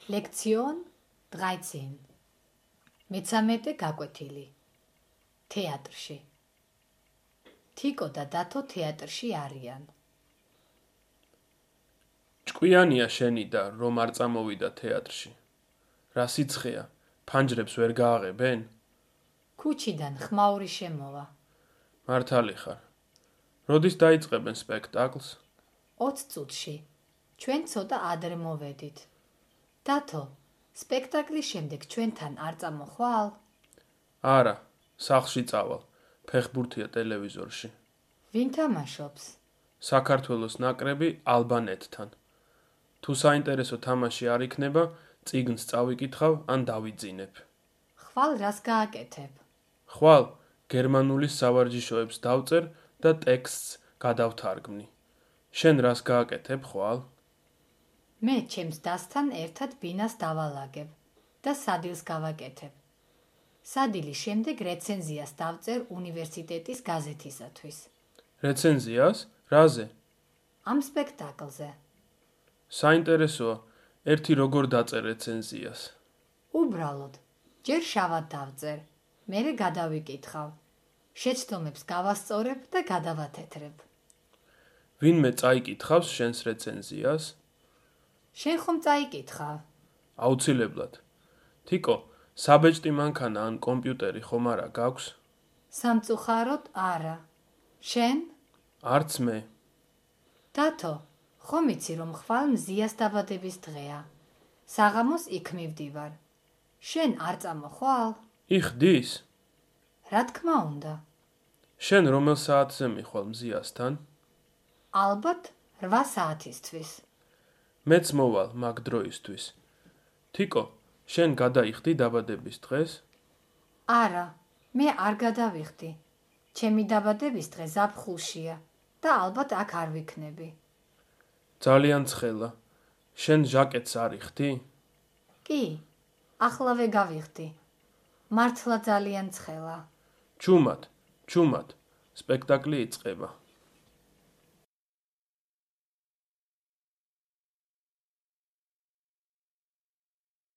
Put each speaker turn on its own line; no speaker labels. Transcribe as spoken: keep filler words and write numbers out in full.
ლექციონ dreizehn. მეცამეტე გაკვეთილი. თეატრში. თიკო და დათო თეატრში არიან.
ჭკვიანია შენი და რომ არ წამოვიდა თეატრში. რა სიცხეა, ფანჯრებს ვერ გააღებენ?
ქუჩიდან ხმაური შემოვა.
მართალი ხარ. როდის დაიწყებენ სპექტაკლს?
ოც წუთში. ჩვენ ცოტა ადრე მოვედით. დათო, სპექტაკლის შემდეგ ჩვენთან არ წამოხვალ?
არა, სახლში წავალ. ფეხბურთია ტელევიზორში.
ვინ თამაშობს?
საქართველოს ნაკრები ალბანეთთან. თუ საინტერესო თამაში არ იქნება, წიგნს წავიკითხავ ან დავიძინებ.
ხვალ რას გააკეთებ?
ხვალ გერმანულის სავარჯიშოებს დავწერ და ტექსტს გადავთარგმნი. შენ რას გააკეთებ ხვალ?
მე ჩემს დასთან ერთად ბინას დავალაგებ და სადილს გავაკეთებ. სადილის შემდეგ რეცენზიას დავწერ უნივერსიტეტის გაზეთისათვის.
რეცენზიას? რაზე?
ამ სპექტაკლზე.
საინტერესოა, ერთი როგორ დაწერ რეცენზიას?
უბრალოდ, ჯერ შავად დავწერ, მერე გადავიკითხავ. შეცდომებს გავასწორებ და გადავათეთრებ.
ვინმე წაიკითხავს შენს რეცენზიას?
შენ ხომ წაიკითხავ?
აუცილებლად. თიკო, საბეჭდი მანქანა ან კომპიუტერი ხომ არა გაქვს?
სამწუხაროდ არა. შენ?
არც მე.
დათო, ხომ იცი რომ ხვალ მზიას დაბადების დღეა. საღამოს იქ მივდივარ. შენ არ წამოხვალ?
იხდის?
რა თქმა უნდა.
შენ რომელ საათზე მიხვალ მზიასთან?
ალბათ რვა საათისთვის.
მეც მოვალ მაგ დროისთვის. თიკო, შენ გადაიხდი დაბადების დღეს?
არა, მე არ გადავიხდი. ჩემი დაბადების დღე ზაფხულშია და ალბათ აქ არ ვიქნები.
ძალიან ცხელა. შენ ჟაკეტს არ იხდი?
კი, ახლავე გავიხდი. მართლა ძალიან ცხელა.
ჩუმად, ჩუმად. სპექტაკლი იწყება.